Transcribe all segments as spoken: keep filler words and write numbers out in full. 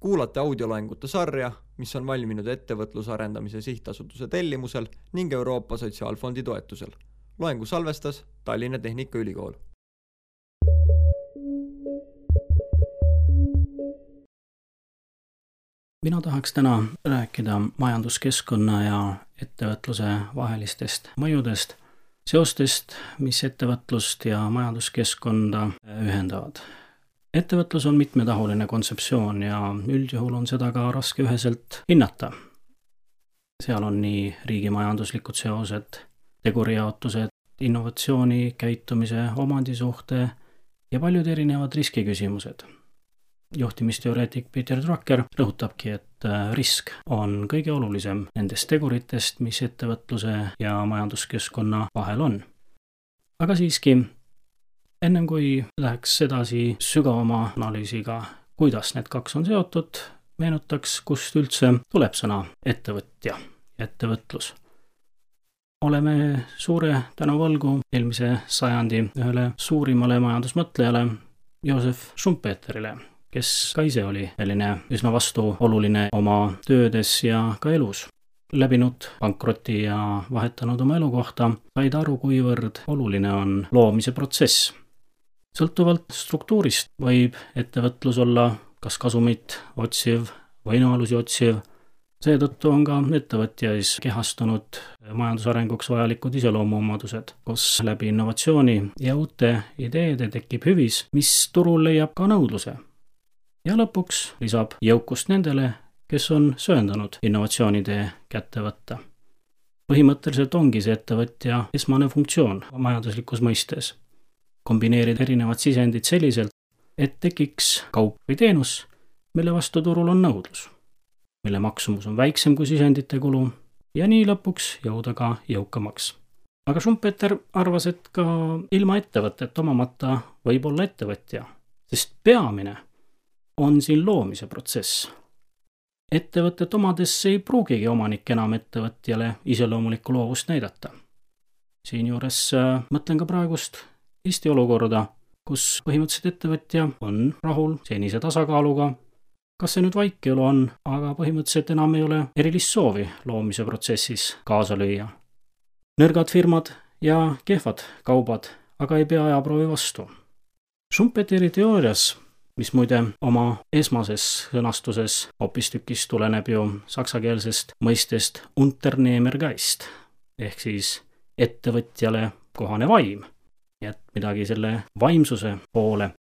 Kuulate audioloengute sarja, mis on valminud ettevõtluse arendamise sihtasutuse tellimusel ning Euroopa Sotsiaalfondi toetusel. Loengu salvestas Tallinna Tehnikaülikool. Mina tahaks täna rääkida majanduskeskkonna ja ettevõtluse vahelistest mõjudest, seostest, mis ettevõtlust ja majanduskeskkonda ühendavad. Ettevõtlus on mitmetahuline kontseptsioon ja üldjuhul on seda ka raske üheselt hinnata. Seal on nii riigimajanduslikud seosed, tegurijaotused, innovatsiooni, käitumise, omandisuhte ja paljud erinevad riskiküsimused. Juhtimisteoreetik Peter Drucker rõhutabki, et risk on kõige olulisem nendest teguritest, mis ettevõtluse ja majanduskeskkonna vahel on. Aga siiski, ennem kui läheks edasi sügavama analüüsiga, kuidas need kaks on seotud, meenutaks, kust üldse tuleb sõna ettevõtja, ettevõtlus. Oleme suure tänuvõlgu eelmise sajandi ühele suurimale majandusmõtlejale Joseph Schumpeterile, kes ka ise oli selline üsna vastuoluline oma töödes ja ka elus. Läbinud pankroti ja vahetanud oma elukohta, said aru, kuivõrd oluline on loomise protsess. Sõltuvalt struktuurist võib ettevõtlus olla kas kasumit otsiv, võimalusi otsiv. Seetõttu on ka ettevõtjais kehastunud majandusarenguks vajalikud iseloomuomadused, kus läbi innovatsiooni ja uute ideede tekib hüvis, mis turul leiab ka nõudluse. Ja lõpuks lisab jõukust nendele, kes on sööndanud innovatsioonitee kätte võtta. Põhimõtteliselt ongi see ettevõtja esmane funktsioon majanduslikus mõistes. Kombineerida erinevad sisendid selliselt, et tekiks kaup või teenus, mille vastu turul on nõudlus, mille maksumus on väiksem kui sisendite kulu ja nii lõpuks jõuda ka jõukamaks. Aga Schumpeter arvas, et ka ilma ettevõtet omamata võib olla ettevõtja, sest peamine on siin loomise protsess. Ettevõtet omades ei pruugigi omanik enam ettevõtjale iseloomulikku loovust näidata. Siinjuures mõtlen ka praegust Eesti olukorda, kus põhimõtteliselt ettevõtja on rahul senise tasakaaluga. Kas see nüüd vaikelu on, aga põhimõtteliselt enam ei ole erilist soovi loomise protsessis kaasa lüüa. Nõrgad firmad ja kehvad kaubad, aga ei pea ajaproovi vastu. Schumpeteri teoorias, mis muide oma esmases sõnastuses hoopistükkis tuleneb ju saksakeelsest mõistest Unternehmergeist, ehk siis ettevõtjale kohane vaim, et midagi selle vaimsuse poole.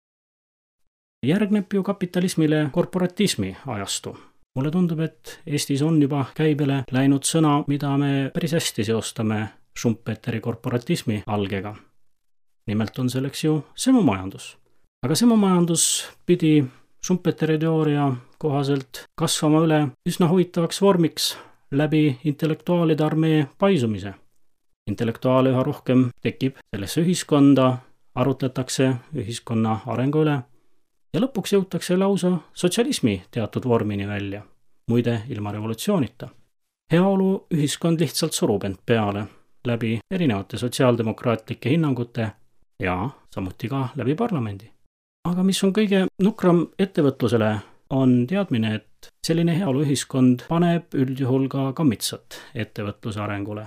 Järgneb ju kapitalismile korporatismi ajastu. Mulle tundub, et Eestis on juba käibele läinud sõna, mida me päris hästi seostame Schumpeteri korporatismi algega. Nimelt on selleks ju semomajandus. Aga semomajandus pidi Schumpeteri teooria kohaselt kasvama üle üsna huvitavaks vormiks läbi intellektuaalide armee paisumise. Intellektuaale üha rohkem tekib sellesse ühiskonda, arutletakse ühiskonna arengu üle ja lõpuks jõutakse lausa sotsialismi teatud vormini välja, muide ilma revolutsioonita. Heaolu ühiskond lihtsalt surub end peale läbi erinevate sotsiaaldemokraatlike hinnangute ja samuti ka läbi parlamendi. Aga mis on kõige nukram ettevõtlusele, on teadmine, et selline heaolu ühiskond paneb üldjuhul ka kammitsat ettevõtluse arengule,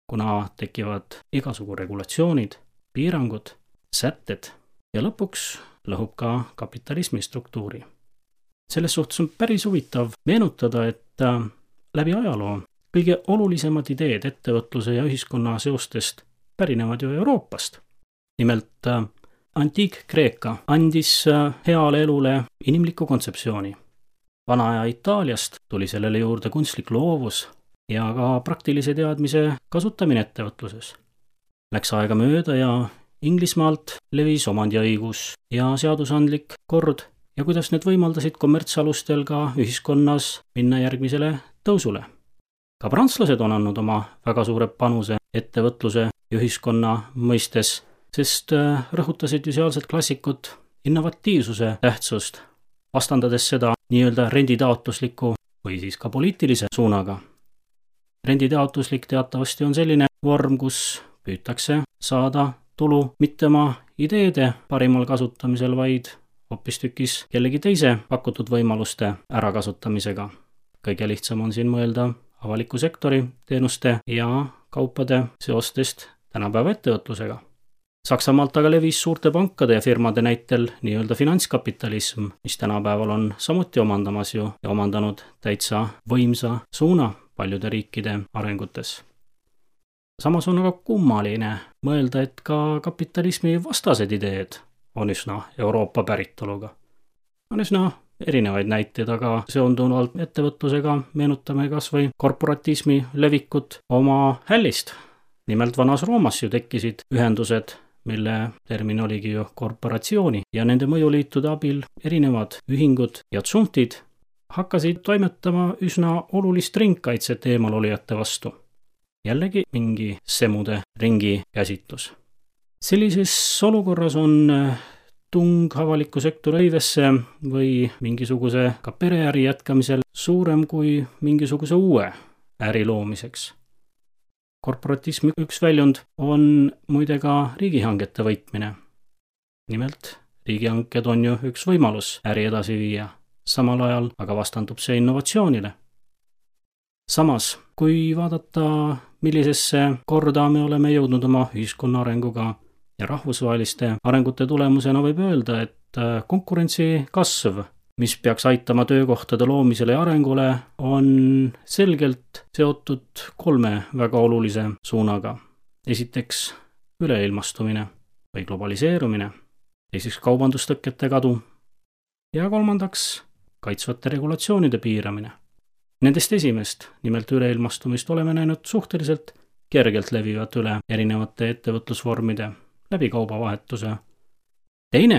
kuna tekivad igasugu regulatsioonid, piirangud, sätted ja lõpuks lõhub ka kapitalismi struktuuri. Selles suhtes on päris huvitav meenutada, et läbi ajaloo kõige olulisemad ideed ettevõtluse ja ühiskonna seostest pärinevad ju Euroopast. Nimelt Antiik-Kreeka andis heale elule inimliku kontseptsiooni. Vana-aja Itaaliast tuli sellele juurde kunstlik loovus ja ka praktilise teadmise kasutamine ettevõtluses. Läks aega mööda ja Inglismaalt levis omandiõigus ja seadusandlik kord ja kuidas need võimaldasid kommertsalustel ka ühiskonnas minna järgmisele tõusule. Ka prantslased on andnud oma väga suure panuse ettevõtluse ja ühiskonna mõistes, sest rõhutasid ju sealsed klassikut innovatiivsuse tähtsust, vastandades seda nii-öelda renditaotlusliku või siis ka poliitilise suunaga. Renditaotluslik teatavasti on selline vorm, kus püütakse saada tulu mitte oma ideede parimal kasutamisel, vaid hoopistükkis kellegi teise pakutud võimaluste ärakasutamisega. Kõige lihtsam on siin mõelda avaliku sektori teenuste ja kaupade seostest tänapäeva ettevõtlusega. Saksamaalt aga levis suurte pankade ja firmade näitel nii-öelda finantskapitalism, mis tänapäeval on samuti omandamas ju ja omandanud täitsa võimsa suuna paljude riikide arengutes. Samas on aga kummaline mõelda, et ka kapitalismi vastased ideed on üsna Euroopa päritoluga. On üsna erinevaid näiteid, aga seonduvalt ettevõtlusega meenutame kas või korporatismi levikut oma hällist. Nimelt vanas Roomas ju tekkisid ühendused, mille termin oligi ju korporatsiooni ja nende mõjuliitude abil erinevad ühingud ja tsuntid hakkasid toimetama üsna olulist ringkaitset eemalolijate vastu. Jällegi mingi semude ringi käsitlus. Sellises olukorras on tung avaliku sektori hõivesse või mingisuguse ka pereäri jätkamisel suurem kui mingisuguse uue äri loomiseks. Korporatismi üks väljund on muide ka riigihangete võitmine. Nimelt, riigihanked on ju üks võimalus äri edasi viia, samal ajal aga vastandub see innovatsioonile. Samas, kui vaadata, millisesse korda me oleme jõudnud oma ühiskonna arenguga ja rahvusvaheliste arengute tulemusena võib öelda, et konkurentsi kasv, mis peaks aitama töökohtade loomisele ja arengule, on selgelt seotud kolme väga olulise suunaga. Esiteks üleilmastumine või globaliseerumine, teiseks kaubandustõkete kadu ja kolmandaks kaitsvate regulatsioonide piiramine. Nendest esimest, nimelt üleilmastumist, oleme näinud suhteliselt kergelt levivat üle erinevate ettevõtlusvormide läbi kaubavahetuse. Teine,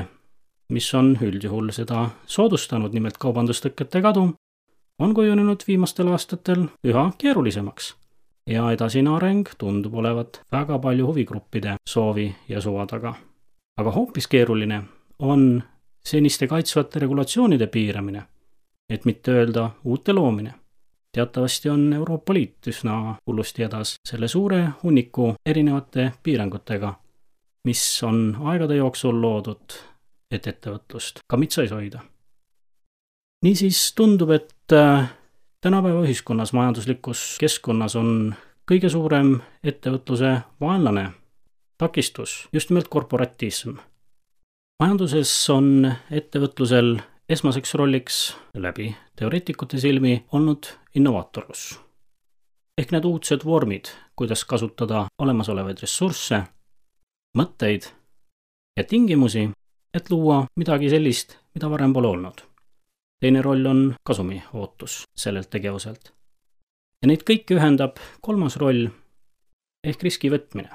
mis on üldjuhul seda soodustanud, nimelt kaubandustõkete kadu, on kujunenud viimastel aastatel üha keerulisemaks ja edasine areng tundub olevat väga palju huvigruppide soovi ja suva taga. Aga hoopis keeruline on seniste kaitsvate regulatsioonide piiramine, et mitte öelda uute loomine. Teatavasti on Euroopa Liit üsna hullusti edas selle suure hunniku erinevate piirangutega, mis on aegade jooksul loodud, et ettevõtlust kamitsais hoida. Niisiis tundub, et tänapäeva ühiskonnas majanduslikus keskkonnas on kõige suurem ettevõtluse vaenlane, takistus, just nimelt korporatism. Majanduses on ettevõtlusel esmaseks rolliks läbi teoreetikute silmi olnud innovaatorlus. Ehk need uudsed vormid, kuidas kasutada olemasolevaid ressursse, mõtteid ja tingimusi, et luua midagi sellist, mida varem pole olnud. Teine roll on kasumi ootus sellelt tegevuselt. Ja neid kõiki ühendab kolmas roll ehk riski võtmine,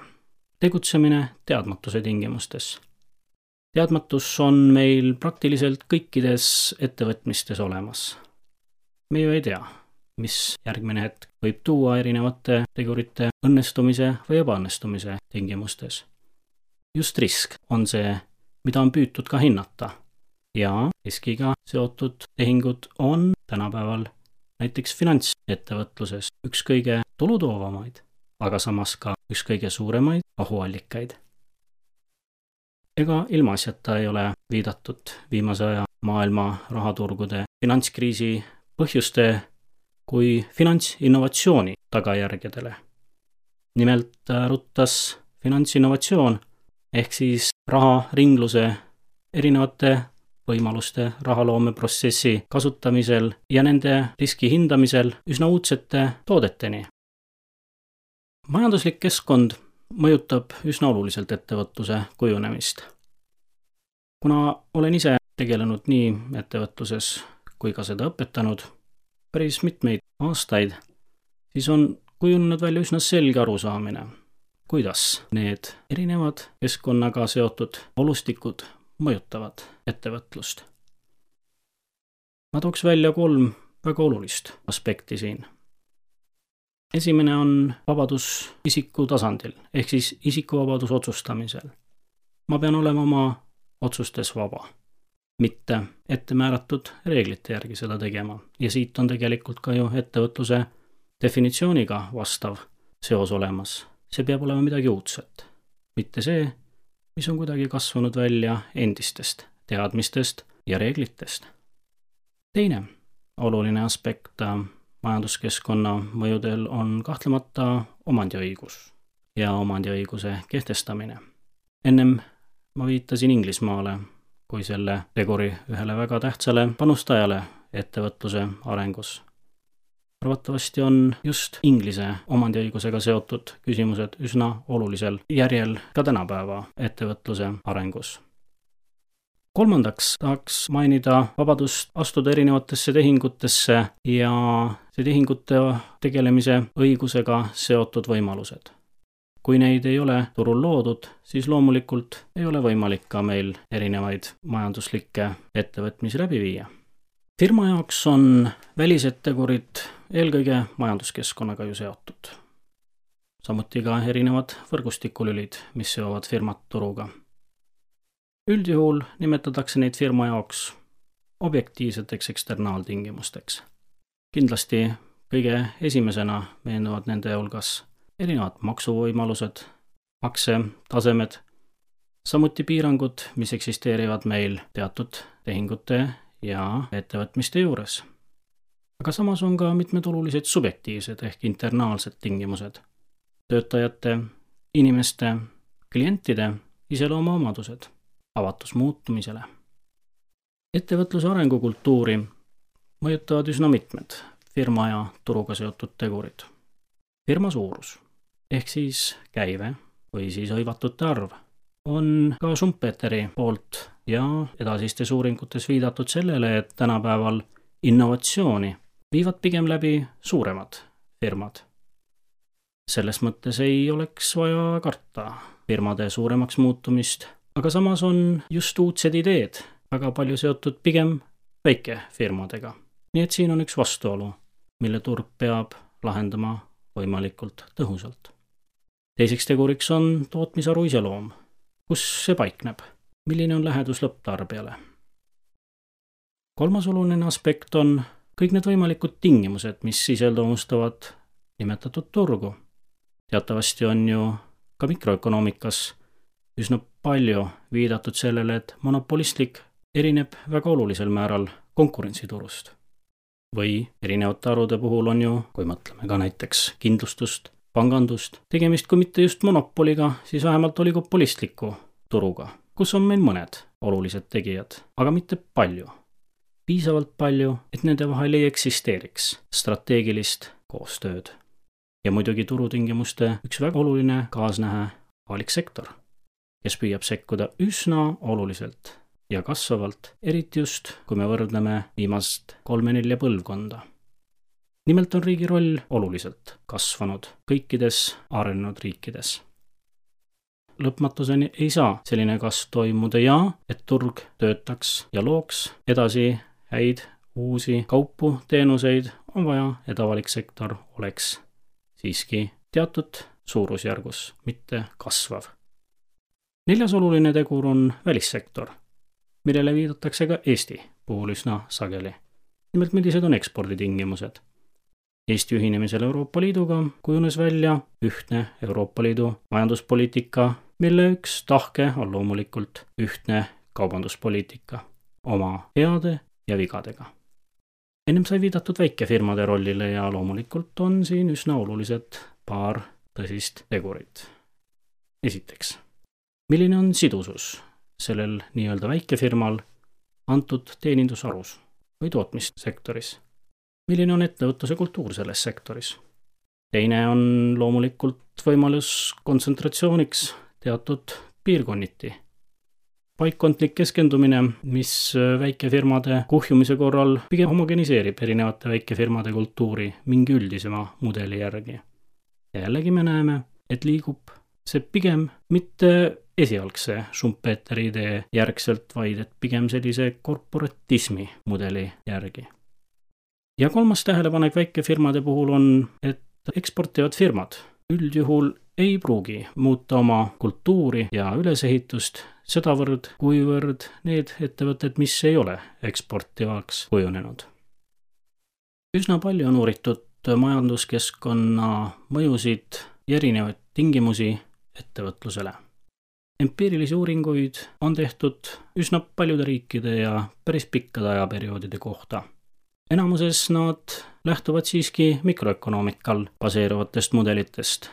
tegutsemine teadmatuse tingimustes. Teadmatus on meil praktiliselt kõikides ettevõtmistes olemas. Me ju ei tea, mis järgmine hetk võib tuua erinevate tegurite õnnestumise või ebaõnnestumise tingimustes. Just risk on see, mida on püütud ka hinnata. Ja riskiga seotud tehingud on tänapäeval näiteks finantsettevõtluses üks kõige tulutoovamaid, aga samas ka üks kõige suuremaid ohuallikaid. Ega ilmaasjata ei ole viidatud viimase aja maailma rahaturgude finantskriisi põhjuste kui finantsinnovatsiooni tagajärgedele. Nimelt ruttas finantsinnovatsioon ehk siis raharingluse erinevate võimaluste rahaloomeprotsessi kasutamisel ja nende riski hindamisel üsna uudsete toodeteni. Majanduslik keskkond mõjutab üsna oluliselt ettevõtluse kujunemist. Kuna olen ise tegelenud nii ettevõtluses kui ka seda õpetanud päris mitmeid aastaid, siis on kujunenud välja üsna selge arusaamine, kuidas need erinevad keskkonnaga seotud olustikud mõjutavad ettevõtlust. Ma tooks välja kolm väga olulist aspekti siin. Esimene on vabadus isiku tasandil, ehk siis isikuvabadus otsustamisel. Ma pean olema oma otsustes vaba, mitte ettemääratud reeglite järgi seda tegema. Ja siit on tegelikult ka ju ettevõtluse definitsiooniga vastav seos olemas. See peab olema midagi uudset, mitte see, mis on kuidagi kasvanud välja endistest teadmistest ja reeglitest. Teine oluline aspekt majanduskeskkonna mõjudel on kahtlemata omandiõigus ja omandiõiguse kehtestamine. Ennem ma viitasin Inglismaale kui selle teguri ühele väga tähtsale panustajale ettevõtluse arengus. Arvatavasti on just Inglise omandiõigusega seotud küsimused üsna olulisel järjel ka tänapäeva ettevõtluse arengus. Kolmandaks tahaks mainida vabadust astuda erinevatesse tehingutesse ja see tehingute tegelemise õigusega seotud võimalused. Kui neid ei ole turul loodud, siis loomulikult ei ole võimalik ka meil erinevaid majanduslikke ettevõtmisi läbi viia. Firma jaoks on välised tegurid eelkõige majanduskeskkonnaga ju seotud. Samuti ka erinevad võrgustikulülid, mis seovad firmat turuga. Üldjuhul nimetatakse neid firma jaoks objektiivseteks eksternaaltingimusteks. Kindlasti kõige esimesena meenuvad nende hulgas erinevad maksuvõimalused, maksetasemed, samuti piirangud, mis eksisteerivad meil teatud tehingute ja ettevõtmiste juures. Aga samas on ka mitmed olulised subjektiivsed ehk internaalsed tingimused, töötajate, inimeste, klientide iseloomuomadused, avatus muutumisele. Ettevõtluse arengukultuuri mõjutavad üsna mitmed firma ja turuga seotud tegurid. Firma suurus ehk siis käive või siis hõivatute arv on ka Schumpeteri poolt ja edasistes uuringutes viidatud sellele, et tänapäeval innovatsiooni viivad pigem läbi suuremad firmad. Selles mõttes ei oleks vaja karta firmade suuremaks muutumist, aga samas on just uudsed ideed väga palju seotud pigem väikefirmadega. Nii et siin on üks vastuolu, mille turg peab lahendama võimalikult tõhusalt. Teiseks teguriks on tootmisaru iseloom. Kus see paikneb? Milline on lähedus lõpptarbijale? Kolmas oluline aspekt on kõik need võimalikud tingimused, mis iseloomustavad nimetatud turgu. Teatavasti on ju ka mikroökonoomikas üsna palju viidatud sellele, et monopolistlik erineb väga olulisel määral konkurentsiturust. Või erinevate arude puhul on ju, kui mõtleme ka näiteks kindlustust, pangandust, tegemist kui mitte just monopoliga, siis vähemalt oligopolistliku turuga, kus on meil mõned olulised tegijad, aga mitte palju. Piisavalt palju, et nende vahel ei eksisteeriks strateegilist koostööd. Ja muidugi turutingimuste üks väga oluline kaasnähe avalik sektor, kes püüab sekkuda üsna oluliselt ja kasvavalt, eriti just, kui me võrdleme viimast kolme-nelja põlvkonda. Nimelt on riigi roll oluliselt kasvanud kõikides arenenud riikides. Lõpmatuseni ei saa selline kasv toimuda ja, et turg töötaks ja looks edasi häid uusi kaupu, teenuseid, on vaja, et avalik sektor oleks siiski teatud suurusjärgus, mitte kasvav. Neljas oluline tegur on välissektor, millele viidatakse ka Eesti puhul üsna sageli. Nimelt, millised on eksporditingimused. Eesti ühinemisel Euroopa Liiduga kujunes välja ühtne Euroopa Liidu majanduspoliitika, mille üks tahke on loomulikult ühtne kaubanduspoliitika oma heade ja vigadega. Ennem sai viidatud väikefirmade rollile ja loomulikult on siin üsna olulised paar tõsist tegurit. Esiteks, milline on sidusus sellel nii-öelda väikefirmal antud teenindusarus või tootmissektoris? Milline on ettevõtluse kultuur selles sektoris? Teine on loomulikult võimalus kontsentratsiooniks teatud piirkonniti. Paikkondlik keskendumine, mis väikefirmade kuhjumise korral pigem homogeniseerib erinevate väikefirmade kultuuri mingi üldisema mudeli järgi. Ja jällegi me näeme, et liigub see pigem mitte esialgse Schumpeteri idee järgselt, vaid et pigem sellise korporatismi mudeli järgi. Ja kolmas tähelepanek väikefirmade puhul on, et eksportivad firmad üldjuhul ei pruugi muuta oma kultuuri ja ülesehitust sedavõrd, kuivõrd need ettevõtted, mis ei ole eksportivaks kujunenud. Üsna palju on uuritud majanduskeskkonna mõjusid ja erinevaid tingimusi ettevõtlusele. Empiirilisi uuringuid on tehtud üsna paljude riikide ja päris pikkade ajaperioodide kohta. Enamuses nad lähtuvad siiski mikroökonoomikal baseeruvatest mudelitest,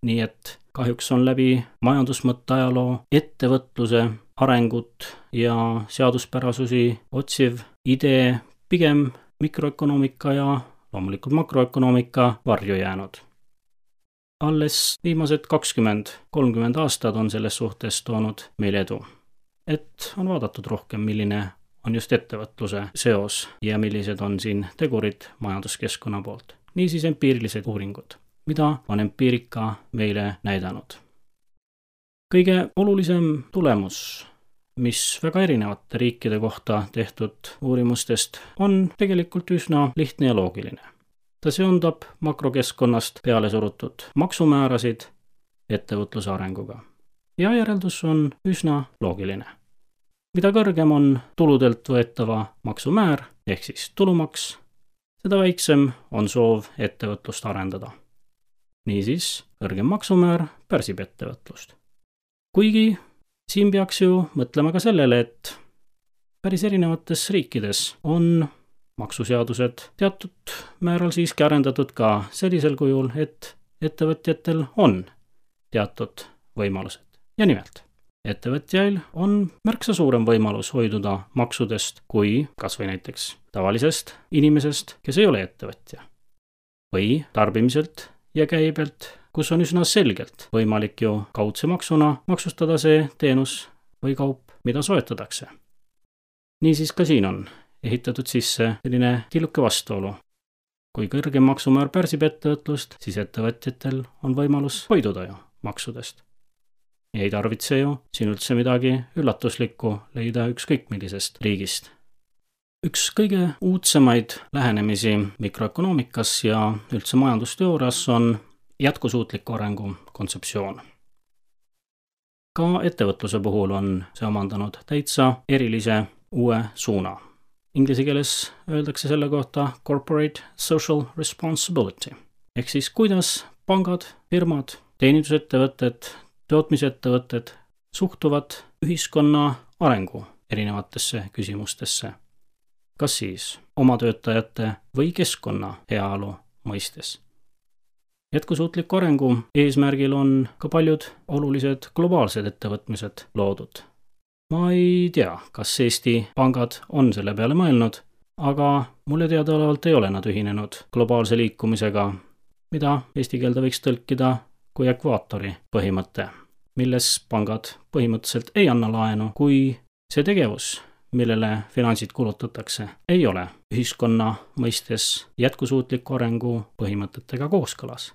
nii et kahjuks on läbi majandusmõtte ajaloo ettevõtluse arengut ja seaduspärasusi otsiv idee pigem mikroökonoomika ja loomulikult makroökonoomika varju jäänud. Alles viimased kakskümmend kolmkümmend aastad on selles suhtes toonud meile edu, et on vaadatud rohkem, milline on just ettevõtluse seos ja millised on siin tegurid majanduskeskkonna poolt. Niisiis empiirilised uuringud, mida on empiirika meile näidanud. Kõige olulisem tulemus, mis väga erinevate riikide kohta tehtud uurimustest, on tegelikult üsna lihtne ja loogiline. Ta seondab makrokeskkonnast peale surutud maksumäärasid ettevõtluse arenguga. Ja järeldus on üsna loogiline. Mida kõrgem on tuludelt võetava maksumäär, ehk siis tulumaks, seda väiksem on soov ettevõtlust arendada. Niisiis, kõrgem maksumäär pärsib ettevõtlust. Kuigi siin peaks ju mõtlema ka sellele, et päris erinevates riikides on maksuseadused teatud määral siiski arendatud ka sellisel kujul, et ettevõtjatel on teatud võimalused. Ja nimelt, ettevõtjail on märksa suurem võimalus hoiduda maksudest kui kas või näiteks tavalisest inimesest, kes ei ole ettevõtja. Või tarbimiselt ja käibelt, kus on üsna selgelt võimalik ju kaudse maksuna maksustada see teenus või kaup, mida soetatakse. Niisiis ka siin on ehitatud sisse selline tilluke vastuolu. Kui kõrgem maksumäär pärsib ettevõtlust, siis ettevõtjatel on võimalus hoiduda ju maksudest. Ja ei tarvitse ju siin üldse midagi üllatuslikku leida ükskõik millisest riigist. Üks kõige uudsemaid lähenemisi mikroökonoomikas ja üldse majandusteoorias on jätkusuutliku arengu kontseptsioon. Ka ettevõtluse puhul on see omandanud täitsa erilise uue suuna. Inglise keeles öeldakse selle kohta corporate social responsibility. Ehk siis kuidas pangad, firmad, teenindusettevõtted, tootmisettevõtted suhtuvad ühiskonna arengu erinevatesse küsimustesse. Kas siis oma töötajate või keskkonna heaolu mõistes. Jätkusuutliku arengu eesmärgil on ka paljud olulised globaalsed ettevõtmised loodud. Ma ei tea, kas Eesti pangad on selle peale mõelnud, aga mulle teadaolevalt ei ole nad ühinenud globaalse liikumisega, mida eesti keelde võiks tõlkida kui ekvaatori põhimõte, milles pangad põhimõtteliselt ei anna laenu, kui see tegevus, millele finantsid kulutatakse, ei ole ühiskonna mõistes jätkusuutliku arengu põhimõtetega kooskõlas.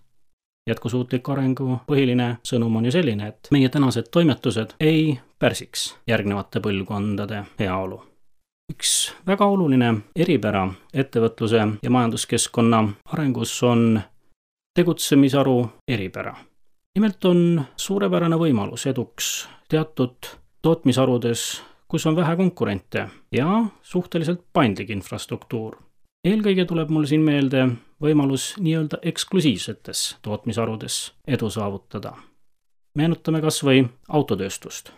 Jätkusuutliku arengu põhiline sõnum on ju selline, et meie tänased toimetused ei pärsiks järgnevate põlvkondade heaolu. Üks väga oluline eripära ettevõtluse ja majanduskeskkonna arengus on tegutsemisaru eripära. Nimelt on suurepärane võimalus eduks teatud tootmisarudes, kus on vähe konkurente ja suhteliselt paindlik infrastruktuur. Eelkõige tuleb mul siin meelde võimalus nii-öelda eksklusiivsetes tootmisarudes edu saavutada. Meenutame kas või autotööstust.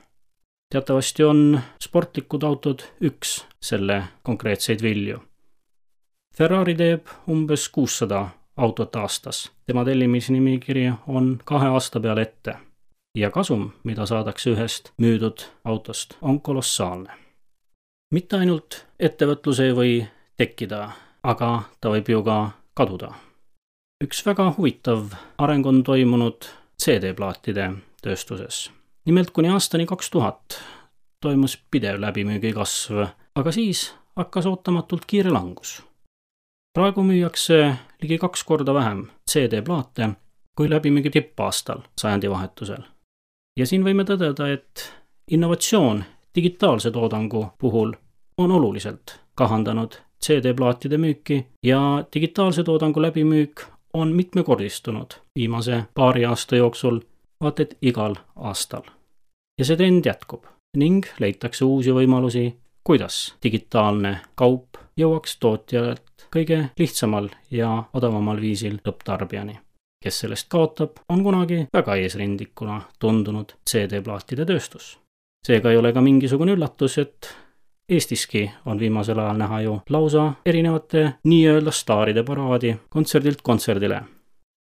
Teatavasti on sportlikud autod üks selle konkreetseid vilju. Ferrari teeb umbes kuussada autot aastas. Tema tellimisnimikiri on kahe aasta peale ette. Ja kasum, mida saadakse ühest müüdud autost, on kolossaalne. Mitte ainult ettevõtlus ei või tekkida, aga ta võib ju ka kaduda. Üks väga huvitav areng on toimunud C D-plaatide tööstuses. Nimelt kuni aastani kaks tuhat toimus pidev läbimüügi kasv, aga siis hakkas ootamatult kiire langus. Praegu müüakse ligi kaks korda vähem C D-plaate kui läbimüügi tippaastal sajandi vahetusel. Ja siin võime tõdeda, et innovatsioon digitaalse toodangu puhul on oluliselt kahandanud C D-plaatide müüki ja digitaalse toodangu läbimüük on mitmekordistunud viimase paari aasta jooksul, vaat et igal aastal. Ja see trend jätkub ning leitakse uusi võimalusi, kuidas digitaalne kaup jõuaks tootjalt kõige lihtsamal ja odavamal viisil lõpptarbijani. kes sellest kaotab, on kunagi väga eesrindlikuna tundunud C D-plaatide tööstus. Seega ei ole ka mingisugune üllatus, et Eestiski on viimasel ajal näha ju lausa erinevate nii-öelda staaride paraadi kontserdilt kontserdile.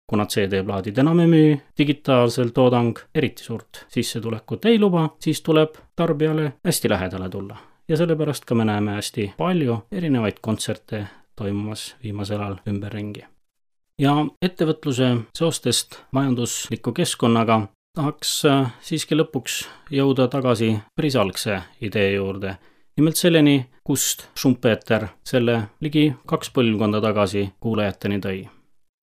Kuna C D-plaadid enam ei müü, digitaalsel toodang eriti suurt sissetulekut ei luba, siis tuleb tarbijale hästi lähedale tulla. Ja sellepärast ka me näeme hästi palju erinevaid kontserte toimumas viimasel ajal ümberringi. Ja ettevõtluse seostest majandusliku keskkonnaga tahaks siiski lõpuks jõuda tagasi päris algse idee juurde. Nimelt selleni, kust Schumpeter selle ligi kaks põlvkonda tagasi kuulajateni tõi.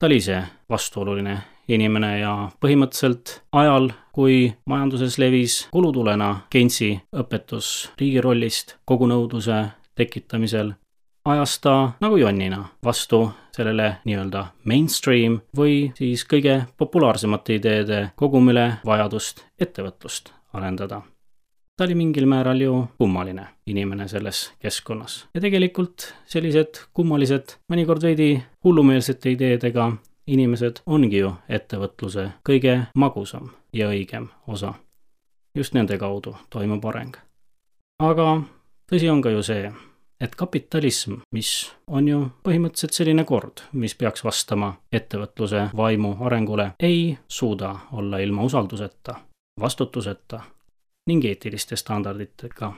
Ta oli see vastuoluline inimene ja põhimõtteliselt ajal, kui majanduses levis kulutulena Keynesi õpetus riigi rollist kogu nõudluse tekitamisel, ajas ta nagu jonnina vastu sellele nii-öelda mainstream või siis kõige populaarsemate ideede kogumile vajadust ettevõtlust arendada. Ta oli mingil määral ju kummaline inimene selles keskkonnas. Ja tegelikult sellised kummalised, mõnikord veidi hullumeelsete ideedega inimesed ongi ju ettevõtluse kõige magusam ja õigem osa. Just nende kaudu toimub areng. Aga tõsi on ka ju see, et kapitalism, mis on ju põhimõtteliselt selline kord, mis peaks vastama ettevõtluse vaimu arengule, ei suuda olla ilma usalduseta, vastutuseta ning eetiliste standarditega.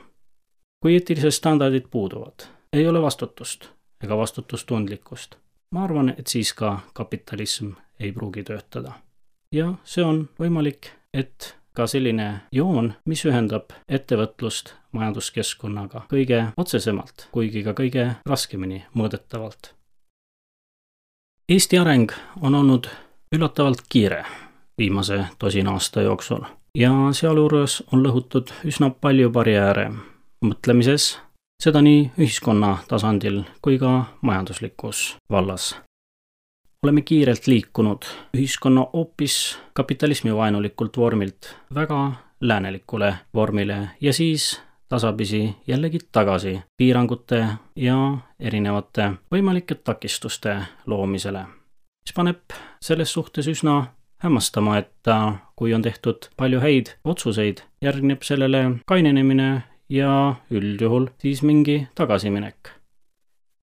Kui eetilised standardid puuduvad, ei ole vastutust ega vastutustundlikkust. Ma arvan, et siis ka kapitalism ei pruugi töötada. Ja see on võimalik, et ka selline joon, mis ühendab ettevõtlust majanduskeskkonnaga kõige otsesemalt, kuigi ka kõige raskemini mõõdetavalt. Eesti areng on olnud üllatavalt kiire viimase tosina aasta jooksul. Ja sealjuures on lõhutud üsna palju barjääre mõtlemises, seda nii ühiskonna tasandil kui ka majanduslikus vallas. Oleme kiirelt liikunud ühiskonna hoopis kapitalismi vaenulikult vormilt väga läänelikule vormile ja siis tasapisi jällegi tagasi piirangute ja erinevate võimalike takistuste loomisele, mis paneb selles suhtes üsna hämmastama, et kui on tehtud palju häid otsuseid, järgneb sellele kainenemine ja üldjuhul siis mingi tagasiminek.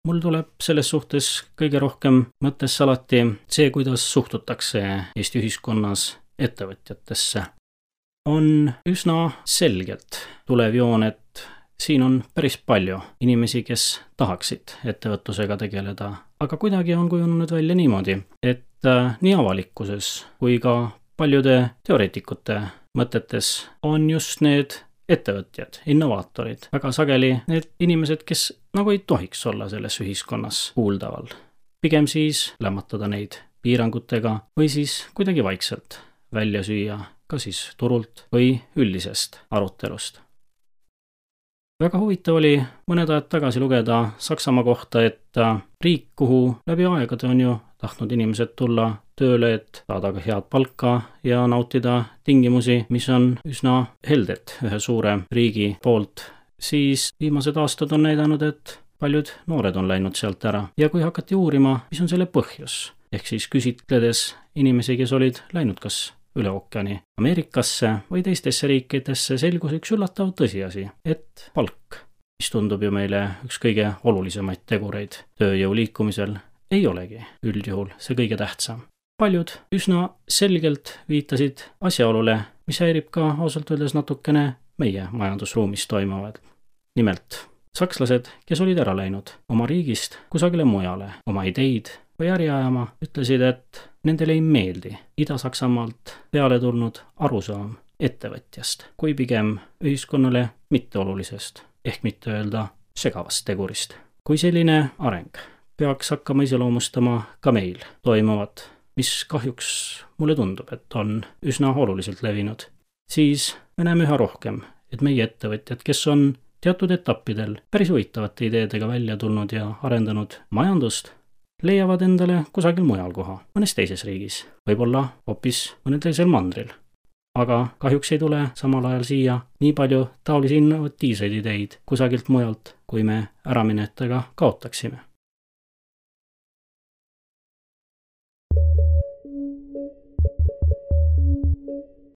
Mul tuleb selles suhtes kõige rohkem mõttesse alati see, kuidas suhtutakse Eesti ühiskonnas ettevõtjatesse. On üsna selgelt tulev joon, et siin on päris palju inimesi, kes tahaksid ettevõtlusega tegeleda, aga kuidagi on kujunenud välja niimoodi, et nii avalikkuses kui ka paljude teoreetikute mõtetes on just need ettevõtjad, innovaatorid, väga sageli need inimesed, kes nagu ei tohiks olla selles ühiskonnas kuuldaval. Pigem siis lämmatada neid piirangutega või siis kuidagi vaikselt välja süüa, ka siis turult või üldisest arutelust. Väga huvitav oli mõned ajad tagasi lugeda Saksamaa kohta, et riik, kuhu läbi aegade on ju tahtnud inimesed tulla tööle, et saada ka head palka ja nautida tingimusi, mis on üsna helded ühe suure riigi poolt, siis viimased aastad on näidanud, et paljud noored on läinud sealt ära. Ja kui hakati uurima, mis on selle põhjus, ehk siis küsitledes inimesi, kes olid läinud kas üle ookeani Ameerikasse või teistesse riikidesse, selgus üks üllatav tõsiasi, et palk, mis tundub ju meile üks kõige olulisemaid tegureid tööjõu liikumisel, ei olegi üldjuhul see kõige tähtsam. Paljud üsna selgelt viitasid asjaolule, mis häirib ka ausalt öeldes natukene meie majandusruumis toimuvad. Nimelt, sakslased, kes olid ära läinud oma riigist kusagile mujale, oma ideid või äri ajama, ütlesid, et nendele ei meeldi Ida-Saksamaalt peale tulnud arusaam ettevõtjast, kui pigem ühiskonnale mitteolulisest, ehk mitte öelda segavast tegurist. Kui selline areng peaks hakkama iseloomustama ka meil toimuvat, mis kahjuks mulle tundub, et on üsna oluliselt levinud, siis me näeme üha rohkem, et meie ettevõtjad, kes on teatud etappidel päris huvitavate ideedega välja tulnud ja arendanud majandust, leiavad endale kusagil mujal koha, mõnes teises riigis, võib-olla hoopis mõnel teisel mandril. Aga kahjuks ei tule samal ajal siia nii palju taolisi innovatiivseid ideid kusagilt mujalt, kui me äraminetega kaotaksime.